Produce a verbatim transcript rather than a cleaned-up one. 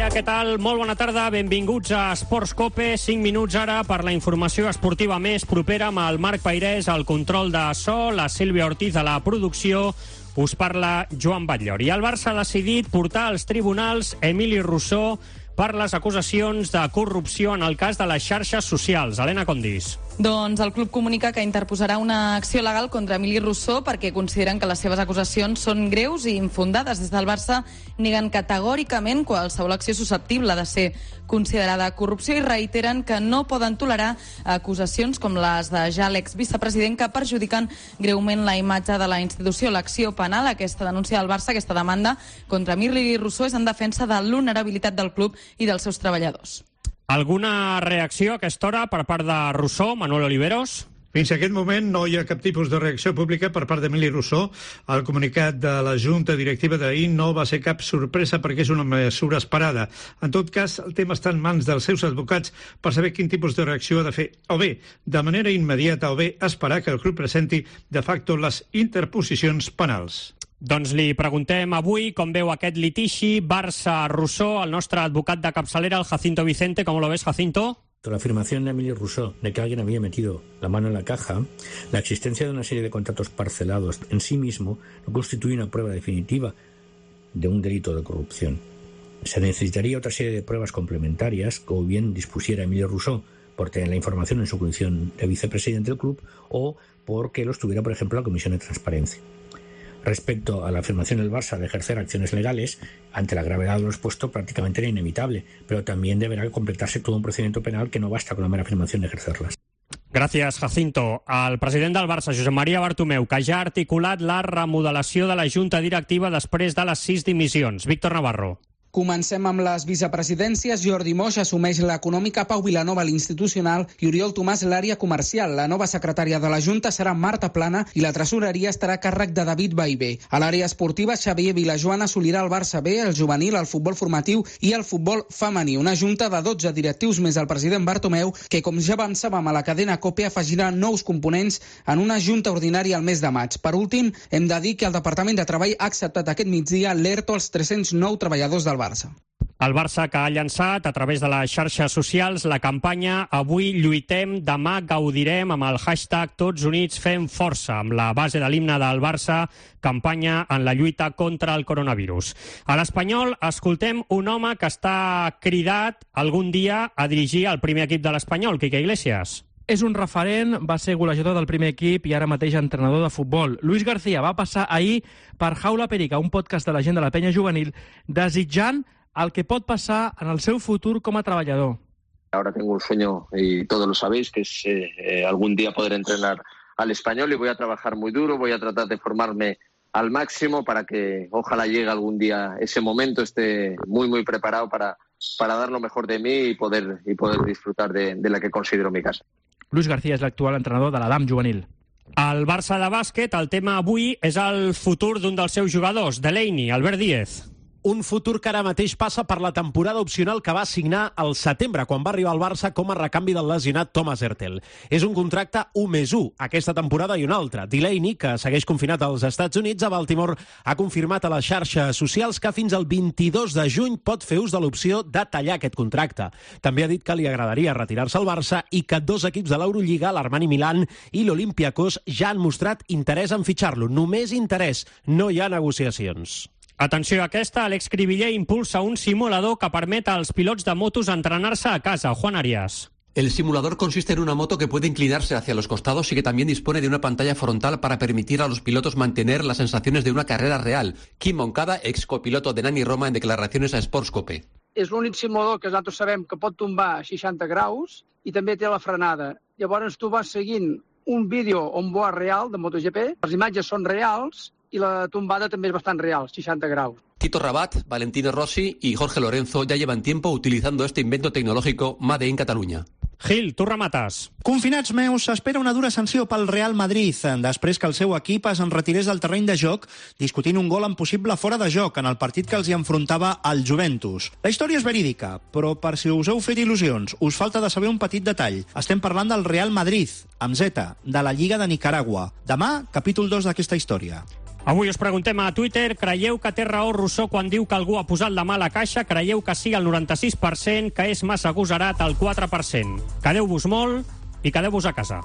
dia, què tal? Molt bona tarda, benvinguts a Esports Cope. cinc minuts ara per la informació esportiva més propera amb el Marc Peirés, al control de so, la Sílvia Ortiz a la producció. Us parla Joan Batllori. El Barça ha decidit portar als tribunals Emili Rousseau per les acusacions de corrupció en el cas de les xarxes socials. Helena Condis. Doncs el club comunica que interposarà una acció legal contra Emili Rousseau perquè consideren que les seves acusacions són greus i infundades. Des del Barça neguen categòricament qualsevol acció susceptible de ser considerada corrupció i reiteren que no poden tolerar acusacions com les de ja l'exvicepresident que perjudiquen greument la imatge de la institució. L'acció penal, aquesta denúncia del Barça, aquesta demanda contra Emili Rousseau és en defensa de l'honorabilitat del club i dels seus treballadors. Alguna reacció a aquesta hora per part de Rousseau, Manuel Oliveros? Fins a aquest moment no hi ha cap tipus de reacció pública per part d'Emili Rousseau. El comunicat de la Junta Directiva d'ahir no va ser cap sorpresa perquè és una mesura esperada. En tot cas, el tema està en mans dels seus advocats per saber quin tipus de reacció ha de fer, o bé de manera immediata o bé esperar que el club presenti de facto les interposicions penals. Doncs li preguntem avui com veu aquest litigi Barça-Rousseau, el nostre advocat de capçalera, el Jacinto Vicente. ¿Cómo lo ves, Jacinto? La afirmación de Emili Rousseau de que alguien había metido la mano en la caja, la existencia de una serie de contratos parcelados en sí mismo no constituye una prueba definitiva de un delito de corrupción. Se necesitaría otra serie de pruebas complementarias que o bien dispusiera Emili Rousseau por tener la información en su condición de vicepresidente del club o porque los tuviera, por ejemplo, la Comisión de Transparencia. Respecto a la afirmación del Barça de ejercer acciones legales, ante la gravedad de lo expuesto prácticamente era inevitable, pero también deberá completarse todo un procedimiento penal que no basta con la mera afirmación de ejercerlas. Gràcies, Jacinto. El president del Barça, Josep Maria Bartomeu, que ja ha articulat la remodelació de la Junta Directiva després de les sis dimissions. Víctor Navarro. Comencem amb les vicepresidències. Jordi Moix assumeix l'econòmica, Pau Vilanova l'institucional i Oriol Tomàs l'àrea comercial. La nova secretària de la Junta serà Marta Plana i la tresoreria estarà a càrrec de David Ballbé. A l'àrea esportiva, Xavier Vilajoan assolirà el Barça B, el juvenil, el futbol formatiu i el futbol femení. Una junta de dotze directius més el president Bartomeu, que, com ja avançàvem a la cadena COPE, afegirà nous components en una junta ordinària al mes de maig. Per últim, hem de dir que el Departament de Treball ha acceptat aquest migdia l'ERTO als tres-cents nou treballadors del Barça. El Barça, que ha llançat a través de les xarxes socials la campanya Avui lluitem, demà gaudirem, amb el hashtag Tots Units Fem Força, amb la base de l'himne del Barça, campanya en la lluita contra el coronavirus. A l'Espanyol escoltem un home que està cridat algun dia a dirigir el primer equip de l'Espanyol, Quique Iglesias. És un referent, va ser golejador del primer equip i ara mateix entrenador de futbol. Luis García va passar ahir per Jaula Perica, un podcast de la gent de la penya juvenil, desitjant el que pot passar en el seu futur com a treballador. Ahora tengo un sueño, y todos lo sabéis, que es eh, algún día poder entrenar al Español y voy a trabajar muy duro, voy a tratar de formarme al máximo para que ojalá llegue algún día ese momento, esté muy muy preparado para, para dar lo mejor de mí y poder, y poder disfrutar de, de la que considero mi casa. Luis García és l'actual entrenador de l'Adam juvenil. Al Barça de bàsquet, el tema avui és el futur d'un dels seus jugadors, Delaney, Albert Díez. Un futur que ara mateix passa per la temporada opcional que va signar al setembre, quan va arribar al Barça com a recanvi del lesionat Thomas Hertel. És un contracte u més u, aquesta temporada i una altra. Delaney, que segueix confinat als Estats Units, a Baltimore, ha confirmat a les xarxes socials que fins al vint-i-dos de juny pot fer ús de l'opció de tallar aquest contracte. També ha dit que li agradaria retirar-se al Barça i que dos equips de l'Eurolliga, l'Armani Milán i l'Olympiacos, ja han mostrat interès en fitxar-lo. Només interès, no hi ha negociacions. Atenció a aquesta, Alex Cribiller impulsa un simulador que permet als pilots de motos entrenar-se a casa. Juan Arias. El simulador consiste en una moto que puede inclinarse hacia los costados y que también dispone de una pantalla frontal para permitir a los pilotos mantener las sensaciones de una carrera real. Quim Moncada, ex copiloto de Nani Roma, en declaraciones a Sports Cope. És l'únic simulador que nosaltres sabem que pot tombar a seixanta graus i també té la frenada. Llavors tu vas seguint un vídeo on board real de MotoGP, les imatges són reals i la tombada també és bastant real, seixanta graus. Tito Rabat, Valentino Rossi y Jorge Lorenzo ya llevan tiempo utilizando este invento tecnológico Made in Catalunya. Gil, tu remates. Confinats meus, s'espera una dura sanció pel Real Madrid després que el seu equip es enretirés del terreny de joc discutint un gol en possible fora de joc en el partit que els hi enfrontava al Juventus. La història és verídica, però per si us heu fet il·lusions, us falta de saber un petit detall. Estem parlant del Real Madrid, amb Z, de la Lliga de Nicaragua. Demà, capítol dos d'aquesta història. Avui us preguntem a Twitter, creieu que té raó Rousseau quan diu que algú ha posat la mà a la caixa? Creieu que sí al noranta-sis per cent, que és massa agosarat al quatre per cent. Quedeu-vos molt i quedeu-vos a casa.